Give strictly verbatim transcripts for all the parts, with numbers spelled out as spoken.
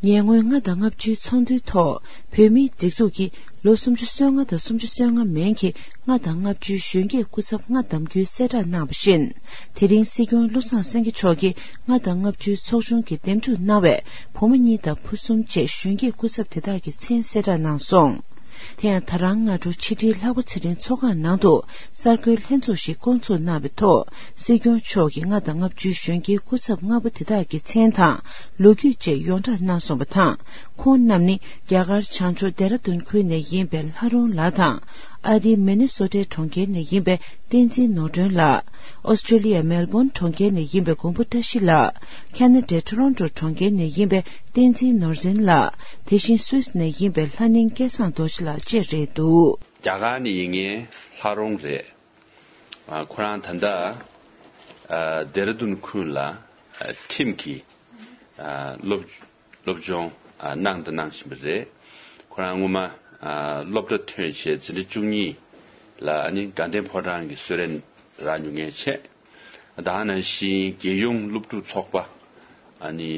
ཉེ་སྔོན་ལྔ་དང་ལྔ་བཅུའི་ཚོགས་འདུའི་ཐོག་བོད་མིའི་སྒྲིག་འཛུགས་ཀྱི་ལོ་སུམ་ཅུ་སོ་ལྔ་དང་སུམ་ཅུ་སོ་ལྔ་མན་གྱི་ལྔ་དང་ལྔ་བཅུའི་གཞོན་སྐྱེས་སྐུ་ཚབ་ལྔ་བདམས་རྒྱུའི་གསལ་བསྒྲགས་གནང་བ་བཞིན། དེ་རིང་སྲིད་སྐྱོང་བློ་བཟང་སེང་གེ་མཆོག་གིས་ལྔ་དང་ལྔ་བཅུའི་ཚོགས་ཆུང་གིས་འདེམས་སྒྲུག་གནང་བའི་བུ་མོ་གཉིས་དང་བུ་གསུམ་བཅས་གཞོན་སྐྱེས་སྐུ་ཚབ་དེ་དག་གི་མཚན་གསལ་བསྒྲགས་གནང་སོང་། དེ་ཡང་ད་རང་སྔ་དྲོ་ཕྱི་དྲིལ་ལྷག་པ་ཚེ་རིང་ཚོགས་ཁང་ནང་དུ་གསར་འགོད་ལྷན་ཚོགས་ཤིག་བསྐོང་ཚོགས་གནང་བའི་ཐོག་སྲིད་སྐྱོང་མཆོག་གིས་ལྔ་དང་ལྔ་བཅུའི་གཞོན་སྐྱེས་སྐུ་ཚབ་ལྔ་པོ་དེ་དག་གི་མཚན་དང་ལོ་རྒྱུས་བཅས་ཡོངས་བསྒྲགས་གནང་སོང་བ་དང་། ཁོང་རྣམས་ནི་རྒྱ་གར་བྱང་ཕྱོགས་ལྡེ་ར་ལྡུན་ཁུལ་ནས་ཡིན་པའི་ལྷ་རོང་ལགས་དང་། ཨ་རིའི་མི་ནི་སོ་ཊའི་གྲོང་ཁྱེར་ནས་ཡིན་པའི་བསྟན་འཛིན་ནོར་སྒྲོན་ལགས། ཨོ་སི་ཀྲོ་ལི་ཡ་མེལ་བོན་གྲོང་ཁྱེར་ནས་ཡིན་པའི་མགོན་པོ་བཀྲ་ཤིས་ལགས། ཁ་ན་ཌའི་ཊོ་རོན་ཊོ་གྲོང་ཁྱེར་ནས་ཡིན་པའི་བསྟན་འཛིན་ནོར་འཛིན་ལགས། དེ་བཞིན་སུད་སི་ནས་ཡིན་པའི་ལྷ་ནིང་སྐལ་བཟང་རྡོ་རྗེ་ལགས་བཅས་རེད་འདུག་རྒྱ་གར་ནས་ཡིན་མཁན་ལྷ་རོང་རེད། ཨ། ཁོ་རང་ད་ལྟ་ཨ། ལྡེ་ར་ལྡུན་ཁུལ་ལ་ཨ། ཁྲིམས་ཀྱི་ཨ། སློབ་སློབ་སྦྱོང་ཨ། གནང་དང་གནང་བཞིན་པ་རེད། ཁོ་རང་སྔོན་མ་ཨ། སློབ་གྲྭ་ཐོན་བྱས་འཛིན་གྲྭ་བཅུ་གཉིས་ལ་ཨ་ནི་དགའ་ལྡན་ཕོ་བྲང་གི་གསོལ་རས་རག་མྱོང་མཁན་བྱས། ད་ག་ནང་བཞིན་རྒྱལ་ཡོངས་སློབ་ཕྲུག་ཚོགས་པ་ཨ་ནི་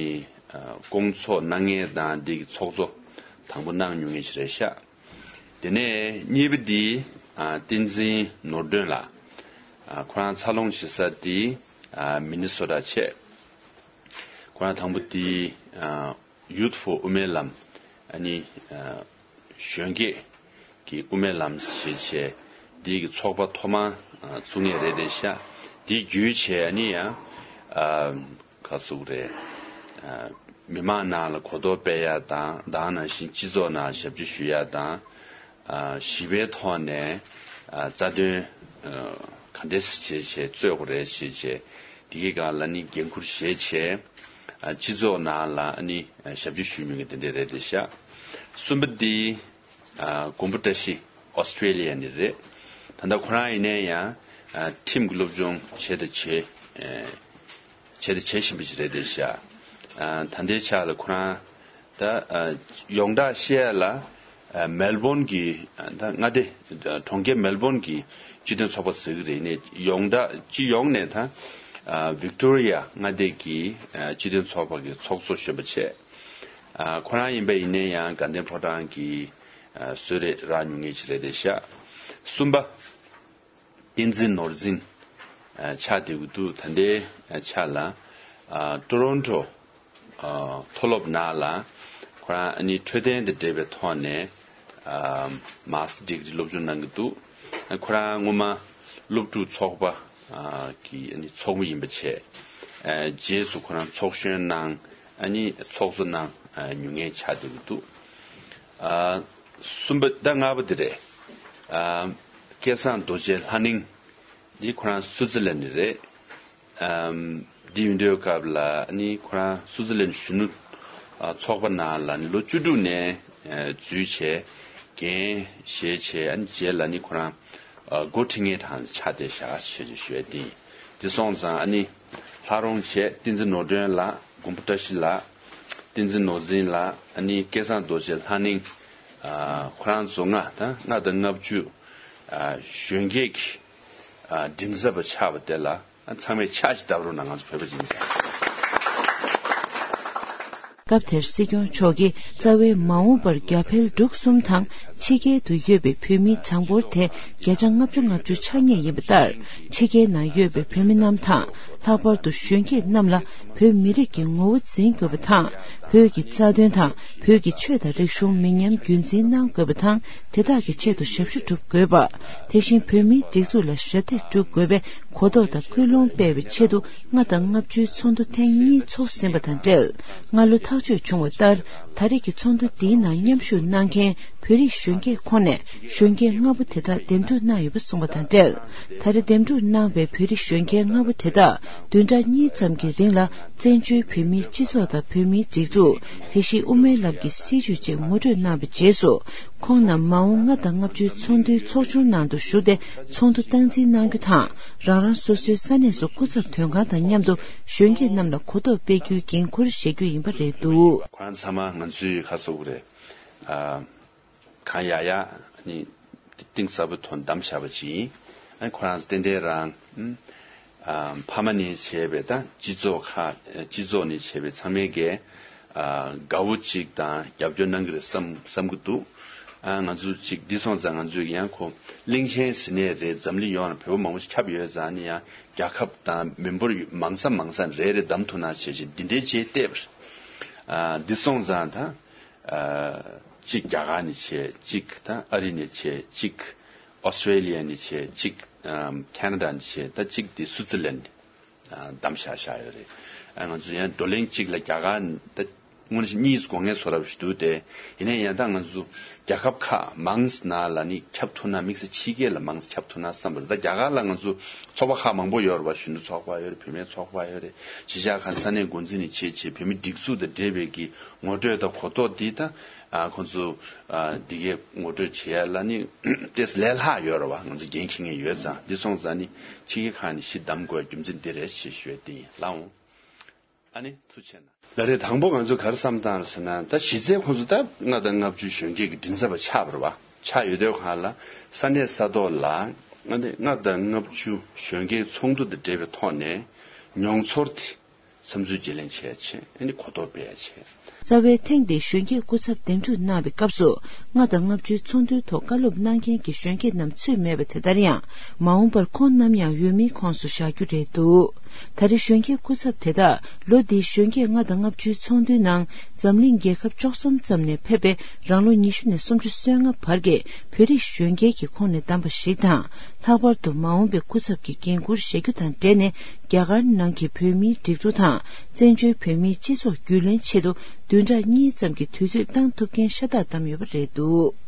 ཨ། བསྐོང་ཚོགས་གནང་མཁན་དང་འདི་གི་ཚོགས་གཙོ་དང་པོ་གནང་མྱོང་མཁན་ཞིག་རེད་ཤག་དེ་ནས་གཉིས་པ་འདི་ཨ། བསྟན་འཛིན་ནོར་སྒྲོན་ལགས། ཨ། ཁོ་རང་འཚར་ལོངས་བྱེད་ས་འདི་ཨ། མི་ནི་སོ་ཊ་བྱས། ཁོ་རང་དང་པོ་འདི་ཨ། Youth for དབུ་མའི་ལམ། ཨ་ནི་ཨ། གཞོན་སྐྱེས་ཀྱི་དབུ་མའི་ལམ་ཞེས་བྱས་འདི་གི་ཚོགས་པ་ཐོག་མར་ཨ། བཙུགས་མཁན་རེད་དེ་ཤག་འདི་བརྒྱུད་བྱས་ཨ་ནི་ཡང་ཨ། ག་ཟེར་དགོས་རེད། ཨ། མི་མང་ནང་ལ་གོ་རྟོགས་སྤེལ་ཡ་དང་དེ་ནང་བཞིན་སྤྱི་ཚོགས་ནང་ཞབས་ཕྱི་ཞུ་ཡ་དང་། ཨ། ཞི་བའི་ཐོག་ནས་ཨ། རྩ་དོན་ཨ། ག་འདྲས་བྱས་བྱས་རྩོད་དགོས་རེད་ཞེས་བྱས་དེ་གའི་སྒང་ལ་ནི་འགན་འཁུར་བཞེས་བྱས། ཨ། སྤྱི་ཚོགས་ནང་ལ་ནི་ཞབས་ཕྱི་ཞུ་མྱོང་མཁན་དེ་འདྲས་རེད་དེ་ཤག་གསུམ་པ་འདི་ཨ། མགོན་པོ་བཀྲ་ཤིས་ཨོ་སི་ཀྲོ་ལི་ཡ་ནས་རེད། ད་ལྟ་ཁོ་རང་ཡིན་ནའི་ཡང་ཨ། ཁྲིམས་ཀྱི་སློབ་སྦྱོང་བྱས་དང་བྱེད་ཨེ། བྱས་དང་བྱེད་བཞིན་པ་ཞིག་རེད་དེ་ཤག་ཨ། ད་ལྟའི་ཆ་ལ་ཁོ་རང་ད་ཨ། ཡོངས་གྲགས་བཤད་ཡ་ལ་ཨ། མེལ་བོན་གྱི་ཨ། ད་མངའ་སྡེ་གྲོང་ཁྱེར་མེལ་བོན་གྱི་སྤྱི་མཐུན་ཚོགས་པ་ཟེར་གྱི་རེད་ནས་ཡོངས་གྲགས་སྤྱི་ཡོངས་ནས་ད་ཨ། ཝིག་ཏོ་རི་ཡ་མངའ་སྡེ་གི་ཨ། སྤྱི་མཐུན་ཚོགས་པ་གི་ཚོགས་གཙོ་གཞོན་པ་བྱས། ཨ། ཁོ་རང་ཡིན་པ་ཡིན་ནའི་ཡང་དགའ་ལྡན་ཕོ་བྲང་གི་ཨ། གསོལ་རས་རག་མྱོང་མཁན་ཞིག་རེད་དེ་ཤག་གསུམ་པ། བསྟན་འཛིན་ནོར་འཛིན་ཨ། ཆགས་བསྡད་ཀྱི་འདུག་ད་ལྟའི་ཆ་ལ་ཨ། ཊོ་རོན་ཊོ་ཨ། མཐོ་སློབ་ནང་ལ་ཁོ་རང་ཨ་ནི་འཕྲོད་བསྟེན་དང་འབྲེལ་བའི་ཐོག་ནས་ཨ། མཱ་སི་ཊར་ཌི་གི་རི་སློབ་སྦྱོང་གནང་གི་འདུག་ཨ། ཁོ་རང་སྔོན་མ་སློབ་ཕྲུག་ཚོགས་པ་ཨ། གི་ཨ་ནི་ཚོགས་མི་ཡིན་པ་བྱས། ཨ། རྗེས་སུ་ཁོ་རང་ཚོགས་གཞོན་གནང་ཨ་ནི་ཚོགས་གཙོ་གནང་ཨ། མྱོང་མཁན་ཆགས་བསྡད་ཀྱི་འདུག་ཨ། གསུམ་པ་ད་ལྔ་པ་འདི་རེད། ཨ། སྐལ་བཟང་རྡོ་རྗེ་ལྷ་ནིང་འདི་ཁོ་རང་སུའུ་ཙི་ལན་ནས་རེད། ཨམ། འདི་ཡིན་དུས་སྐབས་ལ་ནི་ཁོ་རང་སུའུ་ཙི་ལན་གཞོན་ནུ་ཨ། ཚོགས་པ་ནང་ལ་ནི་ལོ་བཅུ་དྲུག་ནས་ཨ། འཛུལ་བྱས་འགན་བཞེས་བྱས་ཨ་ནི་རྗེས་ལ་ནི་ཁོ་རང་ཨ། འགོ་ཁྲིད་མཁན་གྲས་ཆགས་བསྡད་ཤག་ཞེས་ཞུ་ཡ་འདི་ཡིན། འདི་སོང་ཙང་ཨ་ནི་ལྷ་རོང་བྱས་བསྟན་འཛིན་ནོར་སྒྲོན་ལགས། མགོན་པོ་བཀྲ་ཤིས་ལགས། བསྟན་འཛིན་ནོར་འཛིན་ལགས། ཨ་ནི་སྐལ་བཟང་རྡོ་རྗེ་ལྷ་ནིང་། ཨ། ཁོ་རང་ཚོ་ལྔ་དང་ལྔ་དང་ལྔ་བཅུ། ཨ། གཞོན་སྐྱེས་ཀྱི་ཨ། མགྲིན་ཚབ་པ་ཆགས་པ་དེ་ལ་ཨ། ཚང་མས་ཕྱག་ཅིག་བརྡབ་རོགས་གནང་། ང་ཚོ་བོད་པ་ཡིན་ཙང་། སྐབས་དེར་སྲིད་སྐྱོང་མཆོག་གིས་རྩ་བའི་མ་འོངས་པར་རྒྱ་བལ་འབྲུག་གསུམ་དང་ཕྱི་རྒྱལ་དུ་ཡོད་པའི་བོད་མིའི་གྲངས་འབོར་དེ་བརྒྱ་ཆ་ལྔ་བཅུ་ང་བཅུ་ཆགས་ངེས་ཡིན་པ་ལྟར། ཕྱི་རྒྱལ་ནང་ཡོད་པའི་བོད་མི་རྣམས་དང་། ལྷག་པར་དུ་གཞོན་སྐྱེས་རྣམས་ལ་བོད་མི་རིགས་ཀྱི་ངོ་བོ་འཛིན་དགོས་པ་དང་། བོད་ཀྱི་རྩ་དོན་དང་། བོད་ཀྱི་ཆོས་དང་རིག་གཞུང་མི་ཉམས་རྒྱུན་འཛིན་གནང་དགོས་པ་དང་། དེ་དག་གི་ཆེད་དུ་ཞབས་ཞུ་སྒྲུབ་དགོས་པ། དེ་བཞིན་བོད་མིའི་སྒྲིག་འཛུགས་ལ་ཞབས་འདེགས་སྒྲུབ་དགོས་པའི་གོ་རྟོགས་དང་ཀུན་སློང་སྤེལ་བའི་ཆེད་དུ་ལྔ་དང་ལྔ་བཅུའི་ཚོགས་འདུ་ཐེངས་གཉིས་འཚོགས་ཟིན་པ་དང་འབྲེལ། སྔ་ལོ་ཐག་གཅོད་བྱུང་བ་ལྟར། ད་རེས་ཀྱི་ཚོགས་འདུ་འདིའི་ནང་མཉམ་ཞུགས་གནང་མཁན་བོད་རིགས་གཞོན་སྐྱེས་ཁོངས་ནས་གཞོན་སྐྱེས་ལྔ་པོ་དེ་དག་འདེམས་སྒྲུག་གནང་ཡོད་པ་གསུངས་པ་དང་འབྲེལ། ད་རེས་འདེམས་སྒྲུག་གནང་བའི་བོད་རིགས་གཞོན་སྐྱེས་ལྔ་པོ་དེ་དག་བདུན་ཕྲག་གཉིས་ཙམ་གྱི་རིང་ལ་བཙན་བྱོལ་བོད་མིའི་སྤྱི་ཚོགས་དང་བོད་མིའི་སྒྲིག་འཛུགས། དེ་བཞིན་དབུ་མའི་ལམ་གྱི་སྲིད་བྱུས་བཅས་ངོ་སྤྲོད་གནང་བའི་རྗེས་སུ། ཁོང་རྣམས་མ་འོངས་ལྔ་དང་ལྔ་བཅུའི་ཚོགས་འདུའི་ཚོགས་ཆུང་ནང་དུ་ཞུགས་ཏེ་ཚོགས་འདུ་སྟངས་འཛིན་གནང་རྒྱུ་དང་། རང་རང་སོ་སོའི་ས་གནས་སུ་སྐུ་ཚབ་དོན་ཁང་དང་མཉམ་དུ་གཞོན་སྐྱེས་རྣམས་ལ་གོ་རྟོགས་སྤེལ་རྒྱུའི་འགན་འཁུར་བཞེས་རྒྱུ་ཡིན་པ་རེད་འདུག་ཁོ་རང་ཚང་མ་ང་ཚོའི་ཁ་སོ་རེད། ཨ། གང་ཡག་ཡག་ནི་གཏིང་ཟབ་པོའི་ཐོག་བདམས་བཞག་པ་ཅིག་ཡིན། ཨ། ཁོ་རང་ཏན་ཏན་རང་། ཨ། ཕ་མ་ནས་བྱས་པའི་ད་སྤྱི་ཚོགས་ཁག་སྤྱི་ཚོགས་ནས་བྱས་པའི་ཚང་མའི་གི་ ཨ་དགའ་བོ་ཅིག་དང་རྒྱབ་སྐྱོར་གནང་གི་རེད་བསམ་བསམ་གི་འདུག་ཨ་ང་ཚོ་ཅིག་འདི་སོང་ཙང་ང་ཚོས་ཡང་ཁོ་གླིང་ཆེན་ཟེར་ནའི་རེད། འཛམ་གླིང་ཡོངས་ལ་བོད་པ་མང་པོ་ཞིག་ཁྱབ་ཡོད་ཙང་ནི་ཡང་རྒྱལ་ཁབ་དང་མི་འབོར་མང་ས་མང་ས་རེ་རེ་བདམས་ཐུབ་ན་བྱས་ཅིག་འདི་འདྲའི་ཅིག་བལྟས་པ་རེད། ཨ་འདི་སོང་ཙང་ད་ཨ་ཅིག་རྒྱ་གར་ནས་བྱས། ཅིག་ད་ཨ་རི་ནས་བྱས། ཅིག་ཨོ་སི་ཀྲེ་ལི་ཡ་ནས་བྱས། ཅིག་ཨམ་ཁེ་ན་ཌ་ནས་བྱས། ད་ཅིག་དེ་སུའུ་ཙི་ལན་ཨ་བདམས་བཞག་བཞག་ཡོད་རེད། ཨ་ང་ཚོ་ཡང་བགྲོ་གླེང་གཅིག་ལ་རྒྱ་གར་ད་དངོས་གནས་གཉིས་སྒོ་ངའི་བཟོ་འདྲ་ཞིག་འདུག་སྟེ། ཡིན་ན་ཡང་ད་ང་ཚོ་རྒྱལ་ཁབ་ཁག་མང་ཙམ་ནང་ལ་ནི་ཁྱབ་ཐུབ་ན། དམིགས་བསལ་ཕྱི་རྒྱལ་ལ་མང་ཙམ་ཁྱབ་ཐུབ་ན་བསམ་པ་རེད། ད་རྒྱ་གར་ལ་ང་ཚོ་ཚོགས་པ་ཁག་མང་པོ་ཡོད་རེད་པ། གཞོན་ནུ་ཚོགས་པ་ཡོད་རེད། བུད་མེད་ཚོགས་པ་ཡོད་རེད། གཞིས་ཆགས་ཁག་ས་གནས་འགོ་འཛིན་ནས་བྱས་བྱས་བོད་མི་སྒྲིག་འཛུགས་དང་འབྲེལ་བའི་གི་ངོ་སྤྲོད་དང་གོ་རྟོགས་འདི་ད་ཨ་ཁོང་ཚོ་ཨ་འདི་གའི་ངོ་སྤྲོད་བྱེད་ཡ་ལ་ནི་ཏོག་ཙམ་ལས་སླ་ཡོད་རེད་པ། ང་ཚོ་འགན་འཁྱེར་མཁན་ཡོད་ཙང་། འདི་སོང་ཙང་ནི་ཕྱི་རྒྱལ་ཁག་ནས་གཞི་བདམས་དགོས་རྒྱུ་མཚན་འདི་རེད་ཞེས་ཞུ་ཡ་དེ་ཡིན། ལགས་འོང་། ཨ་ནི་ཐུགས་རྗེ་གནང་། ལགས་རེད། དང་པོ་ང་ཚོ་ག་རེ་བསམ་བཏང་རེད་ཟེར་ན། ད་གཞི་རྩའི་ཁོང་ཚོ་ད་ལྔ་དང་ལྔ་བཅུ་གཞོན་སྐྱེས་ཀྱི་མགྲིན་ཚབ་པ་ཆགས་པ་རེད་པ། ཆགས་ཡོད་དུས་སྒང་ལ་ས་གནས་ས་ཐོག་ལ་ཨ་ནི་ལྔ་དང་ལྔ་བཅུ་གཞོན་སྐྱེས་ཚོགས་འདུ་དང་འབྲེལ་བའི་ཐོག་ནས་མྱོང་ཚོར་དེ་བསམ་ཚུལ་བརྗེ་ལེན་བྱས་བྱས། ཨ་ནི་གོ་རྟོགས་སྤེལ་ཡ་བྱས། རྩ་བའི་ཐེངས་འདིའི་གཞོན་སྐྱེས་སྐུ་ཚབ་འདེམས་སྒྲུག་གནང་བའི་སྐབས་སུ། ལྔ་དང་ལྔ་བཅུའི་ཚོགས་འདུའི་ཐོག་བཀའ་སློབ་གནང་མཁན་གྱི་གཞོན་སྐྱེས་རྣམས་ཚུད་མེད་པ་དེ་ལྟར་ཡང་། མ་འོངས་པར་ཁོང་རྣམས་ཡང་འོས་མིའི་ཁོངས་སུ་བཞག་རྒྱུ་རེད་འདུག་ད་རེས་གཞོན་སྐྱེས་སྐུ་ཚབ་དེ་དག་ལོ་འདིའི་གཞོན་སྐྱེས་ལྔ་དང་ལྔ་བཅུའི་ཚོགས་འདུའི་ནང་། འཛམ་གླིང་རྒྱལ་ཁབ་བཅུ་གསུམ་ཙམ་ནས་ཕེབས་པའི་རང་ལོ་ཉི་ཤུ་ནས་སུམ་ཅུ་སོ་ལྔ་བར་གྱི་བོད་རིགས་གཞོན་སྐྱེས་ཀྱི་ཁོངས་ནས་བདམས་པ་ཞིག་དང་། ལྷག་པར་དུ་མ་འོངས་པའི་སྐུ་ཚབ་ཀྱི་འགན་འཁུར་བཞེས་རྒྱུ་དང་འབྲེལ་ནས། རྒྱ་གར་ནང་གི་བོད་མིའི་སྒྲིག་འཛུགས་དང་། བཙན་བྱོལ་བོད་མིའི་སྤྱི་ཚོགས་རྒྱུས་ལོན་ཆེད་དུ། བདུན་ཕྲག་གཉིས་ཙམ་གྱི་དུས་ཚོད་བཏང་ཐུབ་མཁན་ཤ་སྟག་བདམས་ཡོད་པ་རེད་འདུག